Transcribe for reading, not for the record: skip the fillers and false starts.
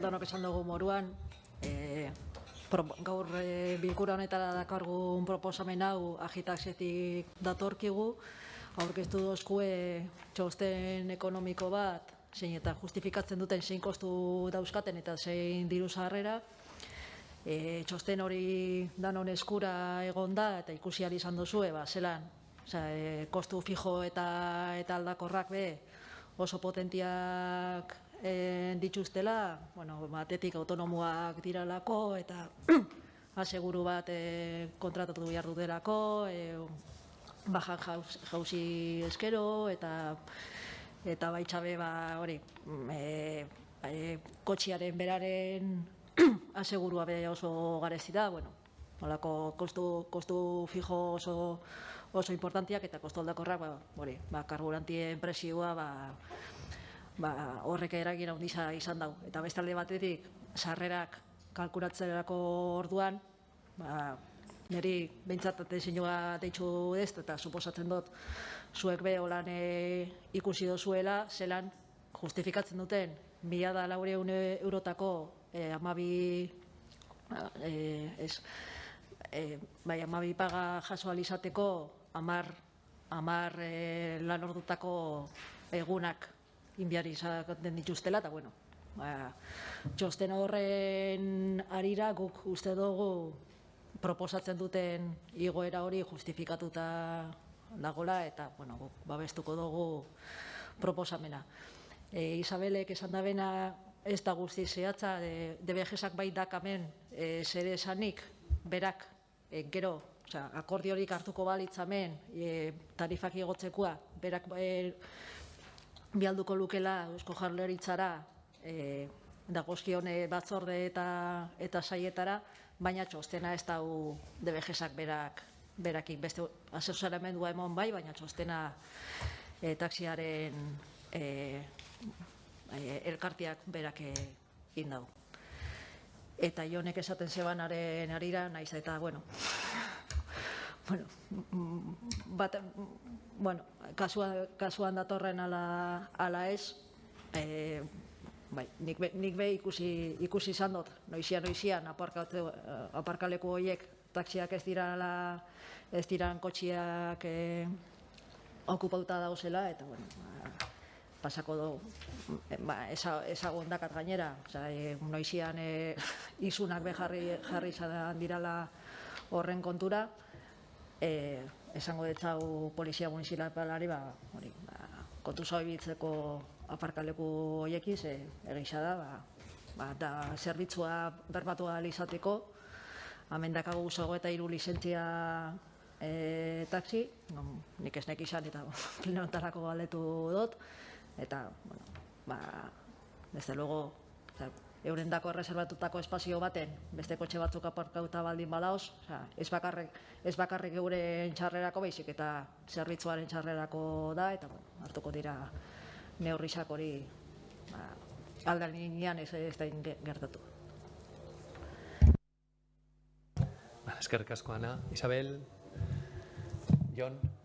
danok esan dugu moruan, gaur bilkura honetara dakargun proposamen hau agitaxetik datorkigu, aurkeztu dozkue txosten ekonomiko bat, zein eta justifikatzen duten zein kostu dauzkaten eta zein diru sarrera. Txosten hori danon eskura egon da eta ikusi ahal izan duzue, zelan, kostu fijo eta aldakorrak oso potentiak dituztela, batetik autonomoak diralako eta aseguru bat kontratatu behar dutelako, bajan jauzi eskero eta baitxabe hori kotxiaren beraren asegurua oso garezi da, holako kostu fijo oso importantiak eta kostu aldakorrak, karburantien presioa horrek eragin handia izan dau. Eta bestalde batetik, sarrerak kalkulatzerako orduan, niri behintzat diseinua deitzu ez, eta suposatzen dut zuek holan ikusi dozuela, zelan justifikatzen duten 1.400 eurotako 12 paga jaso ahal izateko 10 lan ordutako egunak inbiari izaten dituztela, eta txosten horren arira guk uste dugu proposatzen duten igoera hori justifikatuta dagoela, eta guk babestuko dugu proposamena. Isabelek esan da bena ez da guzti zehatza, DBG-sak bai dakamen zer esanik, berak gero, akordiorik hartuko balitzamen, tarifak igotzekoa, berak bialduko lukela Eusko Jaurlaritzara dagozkion batzorde eta saietara, baina txostena ez da DBG-sak berakik beste asesoramendua emon bai, baina txostena taxiaren elkarteak berak indau. Eta Jonek esaten zebanaren arira, naiz eta, kasuan datorren ala ez, nik ikusi izan dut, noizian, aparkaleku horiek taxiak ez diran kotxiak okupauta dauzela, eta pasako dugu, ezagun dakat gainera, noizian izunak jarri izan dirala horren kontura, esango detzau polizia municipalari kontu zaubitzeko aparkaleku horiekiz egisa da, eta zerbitzua berbatu ahal izateko, amendakagu 23 lizentzia taxi, nik ez nek izan eta plenotarako galdetu dut, eta, desde luego, eurendako erreserbatutako espazio baten, beste kotxe batzuk aparkauta baldin badaoz, ez bakarrik euren txarrerako baizik eta zerbitzuaren txarrerako da, eta hartuko dira neurrizak hori aldan linean ez da gertatu. Eskerrik asko, Ana. Isabel, Jon.